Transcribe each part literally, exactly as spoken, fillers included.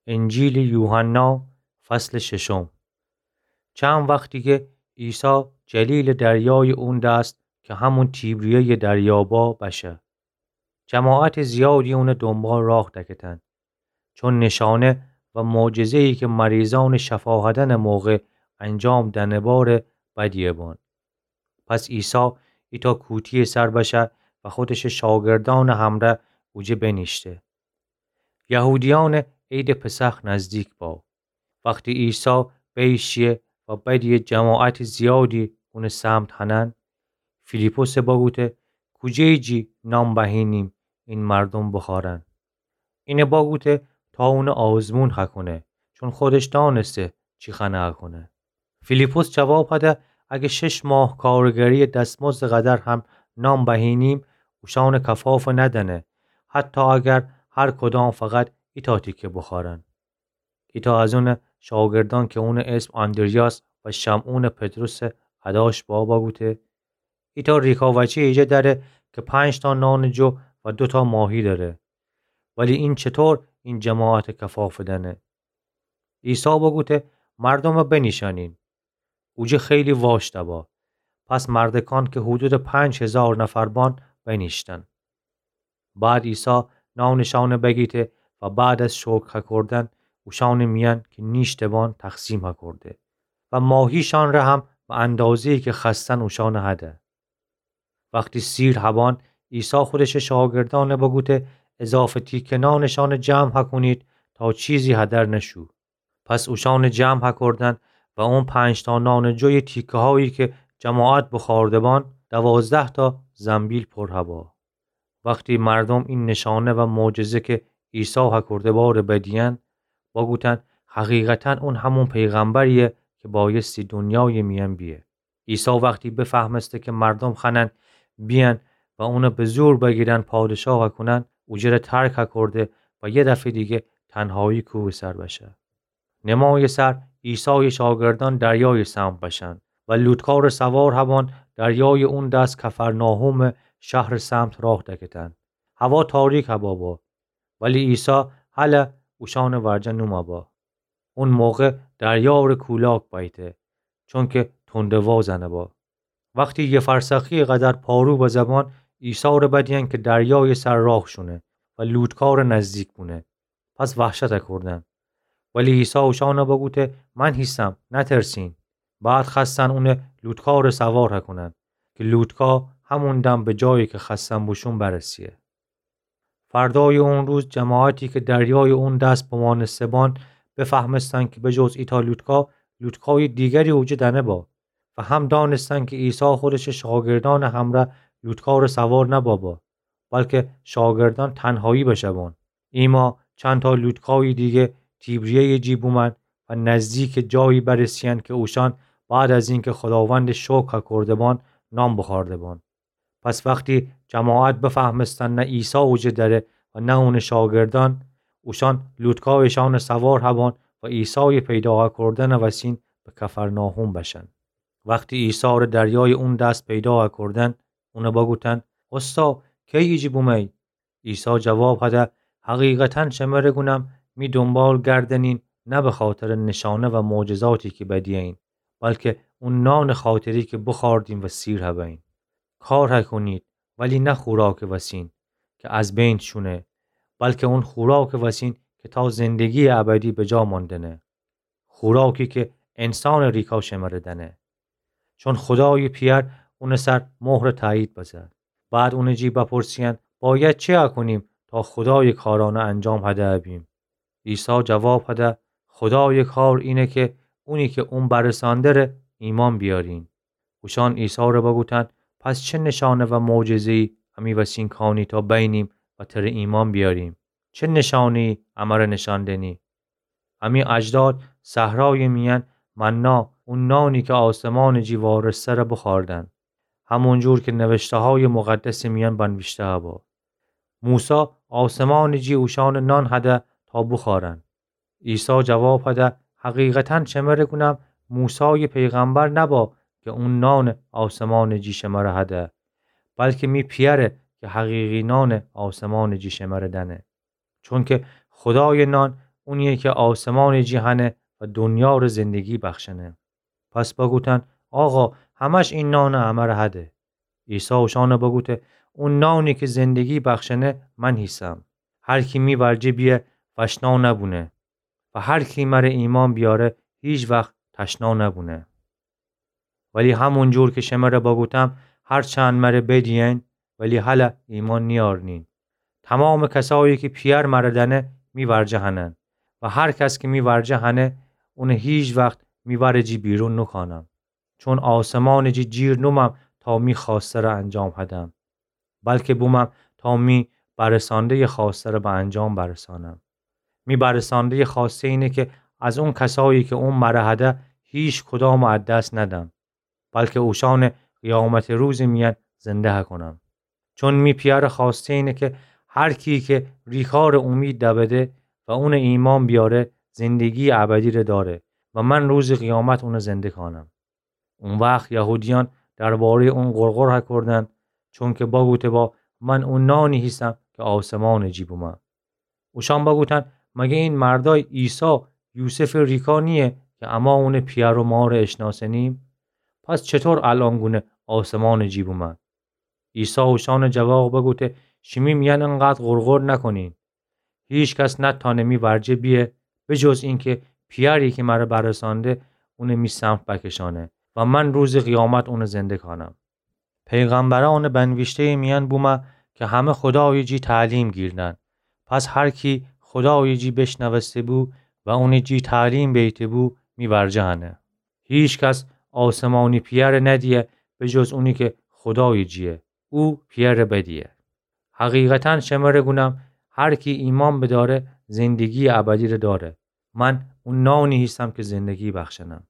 انجیلٚ یوحنا، فصلٚ ششم. چند وخت دیگه عیسی جلیلٚ دریایٚ اون دست که همون تیبریه‌یٚ دریابا بشه. جماعتٚ زیادی اونٚ دونبال راه دکتن، چون نشانه و معجزه‌یی که مریضأنٚ شفا هدنٚ موقع انجام دأنه باره بدیه بان. پس عیسی ایتأ کوتی‌یٚ سر بشه و خودشٚ شاگردأنٚ همرأ اوجه بنیشته. یهودیأنٚ عیدٚ پسخ نزدیک با. وختی عیسی بیشیه و بدیه جماعتٚ زیادی اونٚ سمت هنن، فیلیپسه بگوته: کوجه‌یی جی نان بهینیم این مردوم بخوأرن؟ اینه بگوته تا اونه آزمون هکونه، چون خودش دأنسته چی خوأنه هکونه. فیلیپس جواب هده: اگه شش ماه کارگری‌یٚ دستمزدٚ قدر هم نان بهینیم، اوشأنٚ کفافه ندأنه، حتی اگر هر کدام فقط ایتأ تیکه بخوأرن. ایتأ از اونٚ شاگردأن که اونٚ اسم آندریاس و شمعونٚ پطرسٚ اداش با بگوته: ایتأ ریکاوچی ایجه دأره که پنج‌تأ نانٚ جو و دوتأ ماهی دأره، ولی این چطور این جماعته کفافه دأنه؟ عیسی بگوته: مردومه بنیشأنین. اوجه خیلی واشته با. پس مردکأن که حدودٚ پنج هیزار نفر بان بنیشتن. بعد عیسی نانٚ شأنه بگیته و بعد از شکر هکردن اوشأنٚ میأن که نیشته بان تقسیم هکرده و ماهی‌شأنٚ ره هم به اندازه‌یی که خوأستن اوشأنه هده. وختی سیر هبان، عیسی خودشٚ شاگردأنه بگوته: اضافه تیکه نانٚ شأنه جمع هکونید تا چیزی هدر نشو. پس اوشأنه جمع هکردن و اون پنج‌تأ نانٚ جویٚ تیکه‌هایی که جماعت بخوأرده بان، دوازده‌تأ زنبیل پر هبا. وختی مردوم این نشانه و معجزه که عیسی هکرده باره بدیئن، بگوتن: حقیقتاً اون همون پیغمبریه که بایستی دنیایٚ میأن بیه. عیسی وختی بفهمسته که مردوم خوأنن بیأن و اونه به زور بگیرن پادشاه هکونن، اوجره ترک هکرده و یه دفعه دیگه تنهایی کوهٚ سر بشه. نمایٚ سر عیسایٚ شاگردأن دریایٚ سمت بشن و لوطکارٚ سوار هبان دریایٚ اون دس کفرناحومٚ شهرٚ سمت راه دکتن. هوا تاریک هبا با، ولی عیسی هله اوشأنٚ ورجه نومه با. اون موقع دریا ره کولاک بأیته، چونکه تنده‌وا زنه با. وختی یه فرسخی‌یٚ قدر پارو بزه بان، عیسی ره بدیئن که دریایٚ سر راه شونه و لوطکار نزدیک بونه. پس وحشت هکردن. ولی عیسی اوشأنه بگوته: من هیسم، نترسین. بعد خوأستن اونه لوطکار سوار هکونن، که لوطکا همون دم به جایی که خوأستن بوشون برسه. فردایٚ اون روز جماعتی که دریایٚ اون دس بمانسته بان، بفهمستن که به جز ایتأ لوطکا، لوطکایٚ دیگری اوجه دأنه با و هم دأنستن که عیسی خودشٚ شاگردأنٚ همرأ لوطکار سوار نبه با، بلکه شاگردأن تنهایی بشه بان. ایما چندتأ لوطکایٚ دیگه تیبریه‌یٚ جی بومن و نزدیکٚ جایی برسه‌یأن که اوشأن بعد از اینکه خوداوندٚ شکر هکرده بان، نان بخوأرده بان. پس وختی جماعت بفهمستن نه عیسی اوجه دره و نه اونٚ شاگردأن، اوشأن لوطکایٚ شأنٚ سوار هبان و عیسایٚ پیدا هکردنٚ وسین به کفرناحوم بشن. وختی عیسی ره دریایٚ اون دس پیدا هکردن، اونه بگوتن: استا، کی ایجه بومه‌یی؟ عیسی جواب هده: حقیقتاً شمره گونم، می دونبال گردنین نه بخاطرٚ نشانه و معجزاتی که بدیئین، بلکه اون نانٚ خاطری که بخوأردین و سیر هبه‌یین. کار هکونید، ولی نه خوراکٚ وسین که از بین شونه، بلکه اون خوراکٚ وسین که تا زندگی‌یٚ ابدی به جا ماندنه. خوراکی که انسانٚ ریکا شمره دأنه. چون خودایٚ پئر اونٚ سر مهرٚ تأیید بزه. بعد اونٚ جی بپرسه‌یأن: باید چی هکونیم تا خودایٚ کارأنه انجام هده بیم؟ عیسی جواب هده: خودایٚ کار اینه که اونی که اون برسأنده ره ایمأن بیأرین. اوشأن عیسی ره بگوتن: پس چه نشانه و معجزه‌یی امی وسین کانی تا بینیم و تره ایمأن بیأریم؟ چه نشانه‌یی امره نشأن دنی؟ امی اجداد صحرایٚ میأن منا، اون نانی که آسمانٚ جی وارسته ره بخوأردن، همون جور که نوشته‌هایٚ مقدسٚ میأن بنویشته هبا: موسی آسمانٚ جی اوشأنٚ نان هده تا بخوأرن. عیسی جواب هده: حقیقتاً شمره گونم، موسایٚ پیغمبر نبا که اون نانٚ آسمانٚ جی شمره هده، بلکه می پئره که حقیقی نانٚ آسمانٚ جی شمره دأنه. چونکه خودایٚ نان اونیه کی آسمانٚ جی هنه و دونیا ره زندگی بخشنه. پس بگوتن: آقا، همه‌ش این نانه امره هده. عیسی اوشانه بگوته: اون نانی کی زندگی بخشنه من هیسم. هر کی می ورجه بیه، وشنا نبونه. و هر کی مره ایمأن بیاره، هیچ وخت تشنا نبونه. ولی همون جور کی شمره بگوتم، هرچند مره بدیین، ولی هله ایمأن نیأرنین. تمامٚ کسایی کی پئر مره دأنه، می ورجه هنن. و هر کس کی می ورجه هنه، اونه هیچ وخت می ورٚ جی بیرون نوکانم. چون آسمانٚ جی جیر نومم تا می خوأسته ره انجام هدم، بلکی بومم تا می برسأنده‌یٚ خوأسته ره به انجام برسأنم. می برسأنده‌یٚ خوأسته اینه کی از اون کسایی کی اون مره هده، هیچ کدامٚ از دس ندم، بلکی اوشانٚ قیامتٚ روزٚ میأن زنده هکونم. چون می پئرٚ خوأسته اینه کی هر کی کی ریکارٚ اومید دبده و اونٚ ایمأن بیاره، زندگییٚ ابدی ره داره و من روزٚ قیامت اونه زنده کانم. او وخت یهودیأن درباره‌یٚ اون غرغر هکردن، چونکی بگوته با: من او نانی هیسم کی آسمانٚ جی بومه. اوشأن بگوتن: مگه این مردأی عیسی، یوسفٚ ریکا نییه کی اما اونٚ پئر و مار اشنأسنیم؟ پس چطور الأن گونه آسمانٚ جی بومه؟ عیسی اوشأنٚ جواب بگوته: شیمی میأن اینقدر غرغر نکنین. هیکس نتأنه می ورجه بیه، به جز اینکی پئری کی مره برسأنده، اونه می سمت بکشأنه و من روزٚ قیامت اونه زنده کأنم. پیغمبرأنٚ بنویشته‌یٚ میأن بومه کی همه خودایٚ جی تعلیم گیردن. پس هر کی خودایٚ جی بیشنوسته‌بو و اونٚ جی تعلیم بیته‌بو، می ورجه هنه. هیکس آسمانی پئر ندیه، به جز اونی کی خودایٚ جییه. او پئر بدیه. حقیقتا شمره گونم، هر کی ایمأن بدأره، زندگییٚ ابدی ره دأره. من او نانی هیسم کی زندگی بخشنم.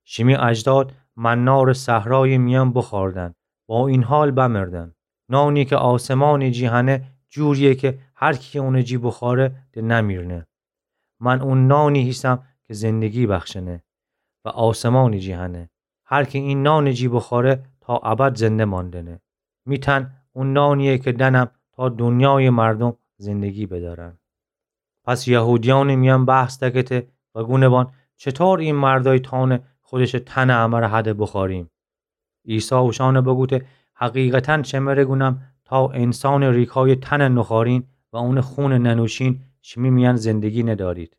شیمی اجداد منا ره صحرایٚ میأن بوخوردن، با این حال بمردن. نانی کی آسمانٚ جی هنه، جورییه کی هر کی اونٚ جی بوخوره، د نمیرنه. من او نانی هیسم کی زندگی بخشنه و آسمانٚ جی هنه. هر کی این نانٚ جی بوخوره، تا ابد زنده ماندنه. می تن او نانییه کی دأنم تا دونیایٚ مردوم زندگی بدأرن. پس یهودیأنٚ میأن بحث دکته و گونه بان: چطور این مردأی تأنه خودشٚ تنٚ امره هده بوخوریم؟ عیسی اوشأنه بگوته: حقیقتا شمره گونم، تا انسانٚ ریکایٚ تنٚ نوخورین و اونٚ خونٚ ننوشین، شیمی میأن زندگی ندأرید.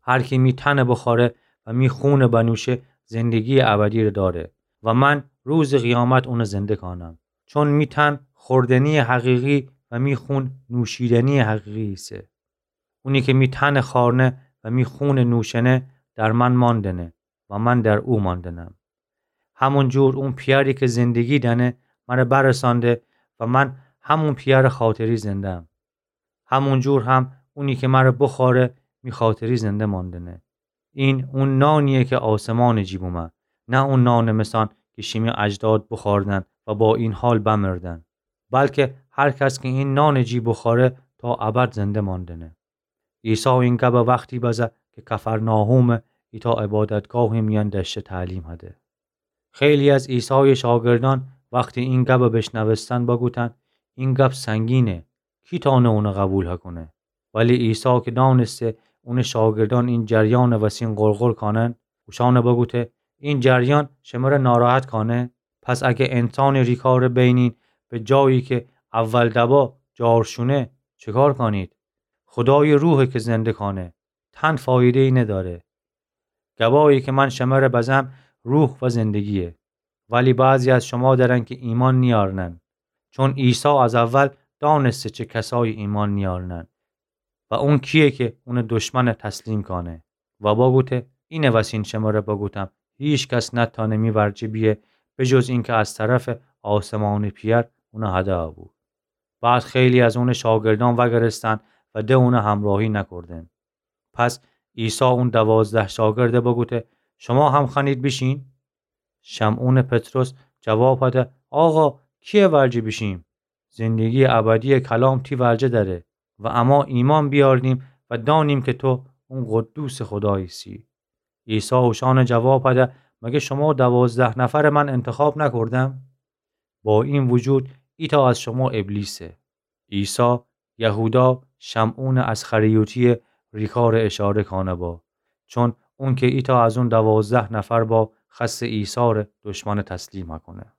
هر کی می تنٚ بوخوره و می خونٚ بنوشه، زندگییٚ ابدی ره دأره و من روزٚ قیامت اونه زنده کأنم. چون می تن خوردنییٚ حقیقی و می خون نوشیدنییٚ حقیقی ایسه. اونی کی می تنٚ خوأرنه و می خونٚ نوشنه، در من ماندنه و من در او ماندنم. همون جور اون پئری کی زندگی دأنه، مره برسأنده و من همون پئرٚ خاطری زنده‌م. همون جور هم اونی کی مره بوخوره، می خاطری زنده ماندنه. این او نانییه کی آسمانٚ جی بومه، نه او نانٚ مثأن کی شیمی اجداد بوخوردن و با این حال بمردن. بلکی هر کس کی این نانٚ جی بوخوره، تا ابد زنده ماندنه. عیسی این گبه وختی بزه کی کفرناحومٚ ایتأ عبادتگاهٚ میأن دأشته تعلیم هده. خیلی از عیسایٚ شاگردأن وختی این گبه بیشنوستن بگوتن: این گب سنگینه، کی تأنه اونه قوبیل هکونه؟ ولی عیسی کی دأنسته اونٚ شاگردأن این جریأنٚ وسین غرغر کأنن، اوشأنه بگوته: این جریأن شمره ناراحت کأنه؟ پس اگه انسانٚ ریکاره بینین، به جایی کی اول دبا جارشونه، چکار کأنید؟ خودایٚ روحه کی زنده کأنه، تن فایده‌یی ندأره. گبایی کی من شمره بزم، روح و زندگییه. ولی بعضی از شما دأرن کی ایمأن نیأرنن. چون عیسی از اول دأنسته چه کسایی ایمأن نیأرنن و اون کییه کی اونٚ دشمن تسلیم کأنه. و بگوته: اینٚ وسین شمره بگوتم، هیکس نتأنه می ورجه بیه، به جز اینکی از طرفٚ آسمانٚ پئر اونه هدأ بو. بعد خیلی از اونٚ شاگردأن وأگرستن و د اونه همراهی نکردن. پس عیسی اون دوازده شاگرده بگوته: شما هم خوأنید بیشین؟ شمعونٚ پطرس جواب هده: آقا، کییٚ ورجه بیشیم؟ زندگییٚ ابدییٚ کلام تی ورجه دأره و اما ایمأن بیأریم و دأنیم کی تو اون قدوسٚ خوداییسی. عیسی اوشأنه جواب هده: مگه شما دوازده نفره من انتخاب نکردم؟ با این وجود ایتأ از شما ابلیسه. عیسی یهودا شمعونٚ اسخریوطییه ریکارٚ اشاره کانه با، چون اونکه ایتأ از اون دوازده نفر با خأسته ایثارٚ دشمنٚ تسلیم کونه.